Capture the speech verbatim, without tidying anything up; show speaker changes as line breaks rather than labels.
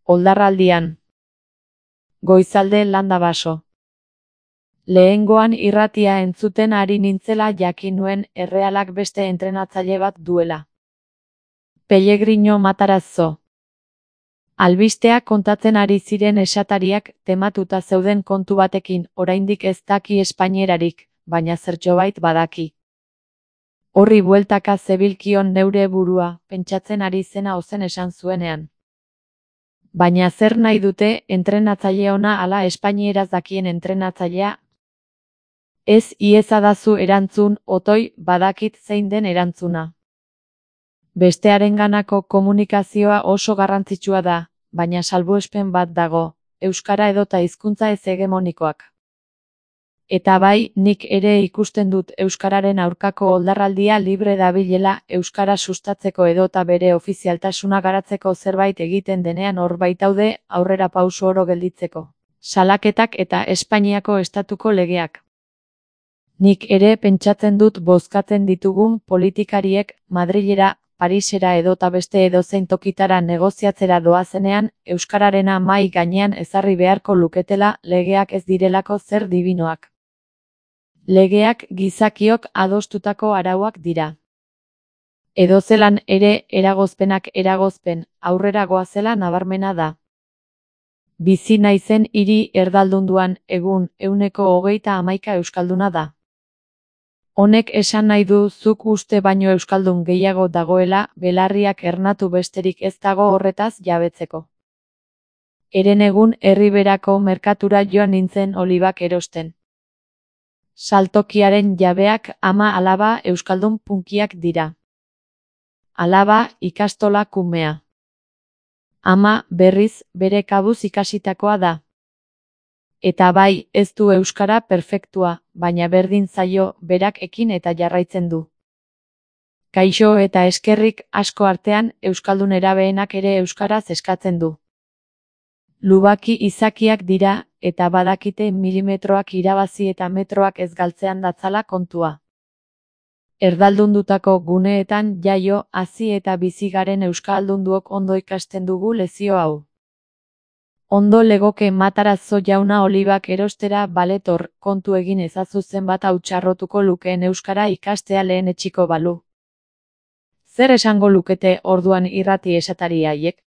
Oldarraldian. Goizalde landa baso. Lehengoan irratia entzuten ari nintzela jakin nuen Errealak beste entrenatzaile bat duela. Pellegrino Matarazzo. Albistea kontatzen ari ziren esatariak tematuta zeuden kontu batekin, oraindik ez daki espainierarik, baina zertxobait badaki. Horri bueltaka zebilkion neure burua, pentsatzen ari zena ozen esan zuenean. Baina zer nahi dute entrenatzaile ona ala espainieraz dakien entrenatzailea? Ez iezadazu erantzun, otoi, badakit zein den erantzuna. Bestearenganako komunikazioa oso garrantzitsua da, baina salbuespen bat dago, euskara edota hizkuntza ez hegemonikoak. Eta bai, nik ere ikusten dut euskararen aurkako oldarraldia libre dabilela euskara sustatzeko edota bere ofizialtasuna garatzeko zerbait egiten denean hor baitaude aurrera pauso oro gelditzeko. Salaketak eta Espainiako estatuko legeak. Nik ere pentsatzen dut bozkatzen ditugun politikariek Madrilera, Parisera edota beste edozein tokitara negoziatzera doazenean, euskararena mahai gainean ezarri beharko luketela legeak ez direlako zer dibinoak. Legeak gizakiok adostutako arauak dira. Edozelan ere eragozpenak eragozpen, aurrera goazela nabarmena da. Bizi naizen hiri erdaldunduan egun ehuneko hogeita hamaika euskalduna da. Honek esan nahi du zuk uste baino euskaldun gehiago dagoela, belarriak ernatu besterik ez dago horretaz jabetzeko. Herenegun Erriberako merkatura joan nintzen olibak erosten. Saltokiaren jabeak ama alaba euskaldun punkiak dira. Alaba ikastola kumea. Ama, berriz, bere kabuz ikasitakoa da. Eta bai, ez du euskara perfektua, baina berdin zaio, berak ekin eta jarraitzen du. Kaixo eta eskerrik asko artean, euskaldun erabeenak ere euskaraz eskatzen du. Lubaki izakiak dira, eta badakite milimetroak irabazi eta metroak ez galtzean datzala kontua. Erdaldundutako guneetan jaio, hazi eta bizi garen euskaldunduok ondo ikasten dugu lezio hau. Ondo legoke Matarazzo jauna olibak erostera baletor, kontu egin ezazu zenbat hauttsarrotuko lukeen euskara ikastea lehen etxiko balu. Zer esango lukete orduan irrati esatari haiek?